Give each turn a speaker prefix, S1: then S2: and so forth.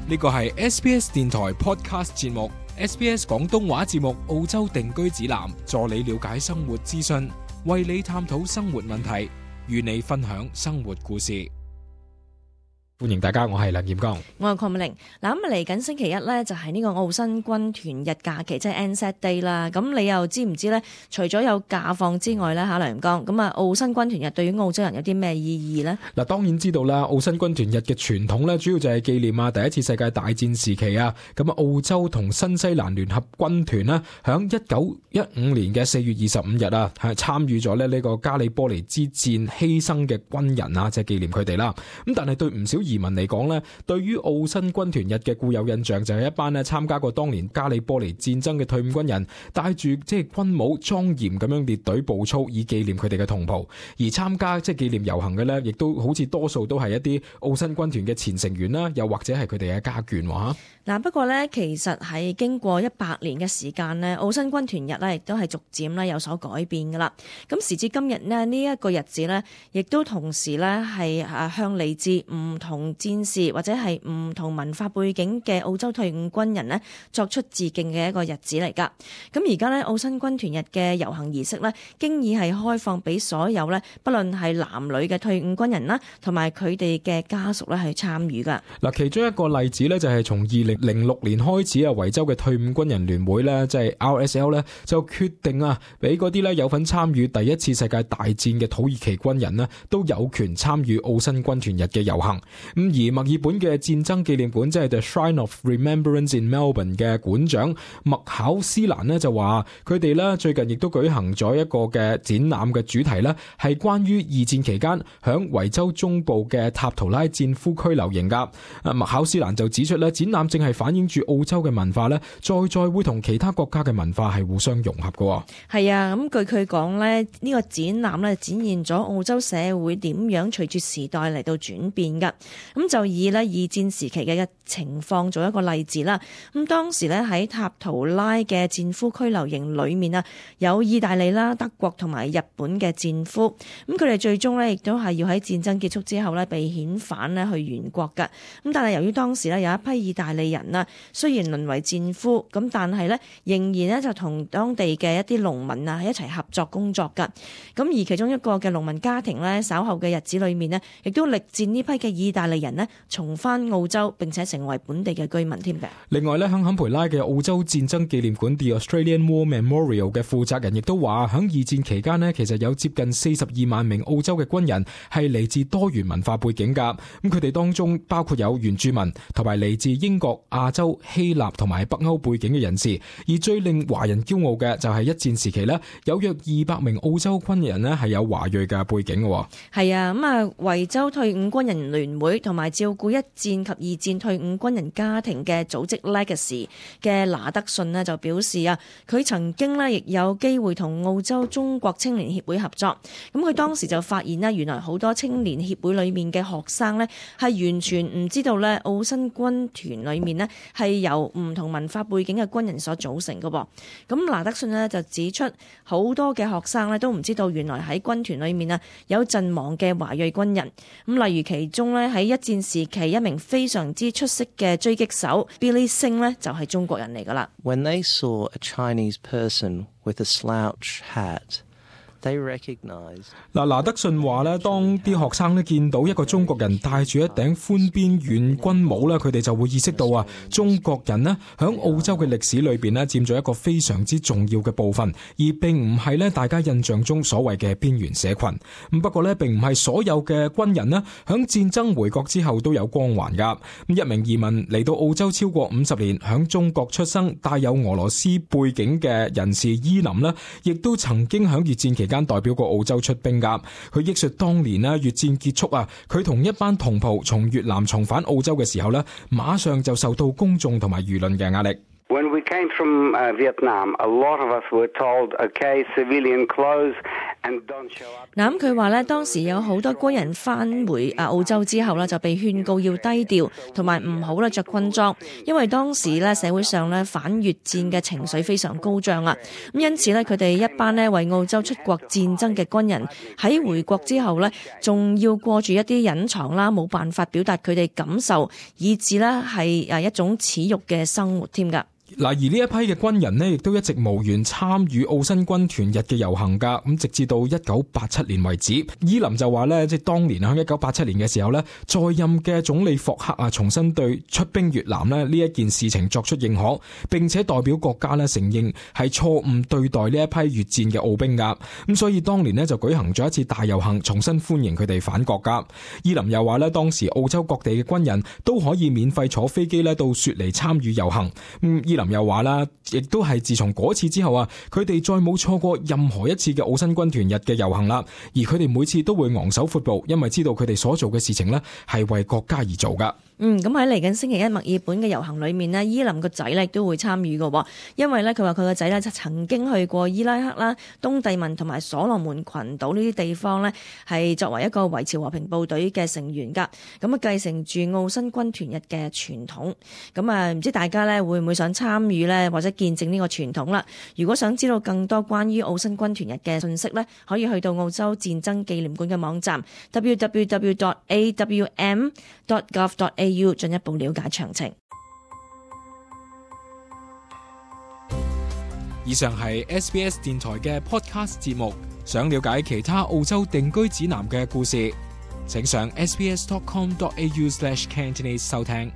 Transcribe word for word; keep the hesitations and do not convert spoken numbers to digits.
S1: 呢個係 S B S 電台 Podcast 節目 S B S 廣東話節目澳洲定居指南，助你了解生活資訊，為你探討生活問題，與你分享生活故事。歡迎大家，我係梁劍剛，
S2: 我係鄺美玲。嗱，咁嚟緊星期一咧，就係呢個澳新軍團日假期，即係 Anzac Day 啦。咁你又知唔知咧？除咗有假放之外咧，吓梁劍剛，咁啊，澳新軍團日對於澳洲人有啲咩意義咧？嗱，
S1: 當然知道啦，澳新軍團日嘅傳統咧，主要就係紀念啊第一次世界大戰時期啊，咁啊澳洲同新西蘭聯合軍團啦，響一九一五年嘅四月二十五日啊，係參與咗咧呢個加里波尼之戰犧牲嘅軍人啊，即係紀念佢哋啦。咁但係對唔少移民嚟講咧，對於澳新軍團日嘅固有印象就係一班咧參加過當年加里波尼戰爭嘅退伍軍人，帶住即係軍帽莊嚴咁樣列隊步操，以紀念佢哋嘅同袍。而參加即係紀念遊行嘅咧，亦都好似多數都係一啲澳新軍團嘅前成員啦，又或者係佢哋嘅家眷喎。
S2: 嗱，不過咧，其實係經過一百年嘅時間咧，澳新軍團日咧亦都係逐漸咧有所改變噶啦。咁時至今日咧，呢一個日子咧，亦都同時咧係誒向嚟自唔同戰士或者係唔同文化背景嘅澳洲退伍軍人咧作出致敬嘅一個日子嚟噶。咁而家咧澳新軍團日嘅遊行儀式咧，經已係開放俾所有咧，不論係男女嘅退伍軍人啦，同埋佢哋嘅家屬咧去參與噶。嗱，
S1: 其中一個例子咧就係從二零零六年開始啊，維州嘅退伍軍人聯會咧，即係 R S L 咧，就決定啊，俾嗰啲咧有份參與第一次世界大戰嘅土耳其軍人咧，都有權參與澳新軍團日嘅遊行。咁而墨爾本嘅戰爭紀念館，即係 The Shrine of Remembrance in Melbourne 嘅館長麥考斯蘭咧就話，佢哋咧最近亦都舉行咗一個嘅展覽嘅主題咧，係關於二戰期間響維州中部嘅塔圖拉戰俘拘留營噶。啊，麥考斯蘭就指出咧，展覽正係反映住澳洲嘅文化咧，再再會同其他國家嘅文化係互相融合嘅。
S2: 係啊，咁據佢講咧，呢個展覽咧展現咗澳洲社會點樣隨住時代嚟到轉變噶。咁就以咧二戰時期嘅情況做一個例子啦。咁當時咧喺塔圖拉嘅戰俘拘留營裏面啊，有意大利啦、德國同埋日本嘅戰俘。咁佢哋最終咧亦都係要喺戰爭結束之後咧被遣返咧去原國噶。咁但係由於當時咧有一批意大利人啊，雖然淪為戰俘，咁但係咧仍然咧就同當地嘅一啲農民啊一齊合作工作噶。咁而其中一個嘅農民家庭咧，稍後嘅日子裏面咧，亦都力戰呢批嘅意大利人咧重返澳洲，並且成為本地嘅居民添嘅。
S1: 另外咧，響坎培拉嘅澳洲戰爭紀念館 The Australian War Memorial 嘅負責人亦都話，響二戰期間咧，其實有接近四十二萬名澳洲嘅軍人係嚟自多元文化背景噶。咁佢哋當中包括有原住民同埋嚟自英國、亞洲、希臘同埋北歐背景嘅人士。而最令華人驕傲嘅就係一戰時期咧，有約二百名澳洲軍人咧係有華裔嘅背景嘅。
S2: 係啊，咁啊維州退伍軍人聯會同埋照顧一戰及二戰退伍軍人家庭嘅組織 Legacy 嘅拿德遜呢就表示啊，佢曾經呢亦有機會同澳洲中國青年協會合作。咁佢當時就發現呢，原來好多青年協會裏面嘅學生呢係完全唔知道呢澳新軍團裏面呢係由唔同文化背景嘅軍人所組成嘅噃。咁拿德遜呢就指出，好多嘅學生呢都唔知道原來喺軍團裏面啊有陣亡嘅華裔軍人。咁例如其中呢，喺一戰時期一名非常之出色嘅狙擊手 Billy Singh 呢就係中國人嚟噶啦。
S3: When they saw a Chinese person with a slouch hat,
S1: 嗱，拿德遜話咧，當啲學生咧見到一個中國人戴住一頂寬邊軟軍帽咧，佢哋就會意識到啊，中國人咧響澳洲嘅歷史裏邊咧佔咗一個非常之重要嘅部分，而並唔係咧大家印象中所謂嘅邊緣社群。咁不過咧，並唔係所有嘅軍人咧響戰爭回國之後都有光環噶。咁一名移民嚟到澳洲超過五十年，響中國出生，帶有俄羅斯背景嘅人士伊林咧，亦都曾經響越戰期間間代表過澳洲出兵噶。佢憶述當年咧越戰結束啊，佢同一班同袍從越南重返澳洲嘅時候咧，馬上就受到公眾同埋輿論嘅壓力。
S4: When we came from uh, Vietnam, a lot of us were told, okay, civilian clothes
S2: 嗱，咁佢話咧，當時有好多軍人翻回啊澳洲之後咧，就被勸告要低調，同埋唔好咧着軍裝，因為當時咧社會上咧反越戰嘅情緒非常高漲啊。咁因此咧，佢哋一班咧為澳洲出國戰爭嘅軍人喺回國之後咧，仲要過住一啲隱藏啦，冇辦法表達佢哋感受，以致咧係誒一種恥辱嘅生活添㗎。
S1: 嗱，而呢一批嘅軍人呢，亦都一直無緣參與澳新軍團日嘅遊行噶，咁直至到一九八七年為止。伊林就話呢，即係當年喺一九八七年嘅時候呢，在任嘅總理霍克啊，重新對出兵越南呢呢一件事情作出認可，並且代表國家呢承認係錯誤對待呢一批越戰嘅澳兵噶。咁所以當年呢，就舉行咗一次大遊行，重新歡迎佢哋返國噶。伊林又話呢，當時澳洲各地嘅軍人都可以免費坐飛機呢到雪梨參與遊行。咁伊林又話啦，亦都係自從嗰次之後啊，佢哋再冇錯過任何一次嘅澳新軍團日嘅遊行啦。而佢哋每次都會昂首闊步，因為知道佢哋所做嘅事情呢係為國家而做噶。
S2: 嗯，咁喺嚟緊星期一墨爾本嘅遊行裏面呢，伊林個仔咧都會參與嘅，因為咧佢話佢個仔咧曾經去過伊拉克啦、東帝汶同埋所羅門群島呢啲地方咧，係作為一個維持和平部隊嘅成員噶，咁啊繼承住澳新軍團日嘅傳統。咁啊，唔知大家咧會唔會想參與呢，或者見證呢個傳統啦？如果想知道更多關於澳新軍團日嘅信息呢，可以去到澳洲戰爭紀念館嘅網站 double-u double-u double-u dot a w m dot gov dot a u 進一步了解詳情。
S1: 以上係 S B S 電台嘅 podcast 節目。想了解其他澳洲定居指南嘅故事，請上 s b s dot com dot a u slash cantonese 收聽。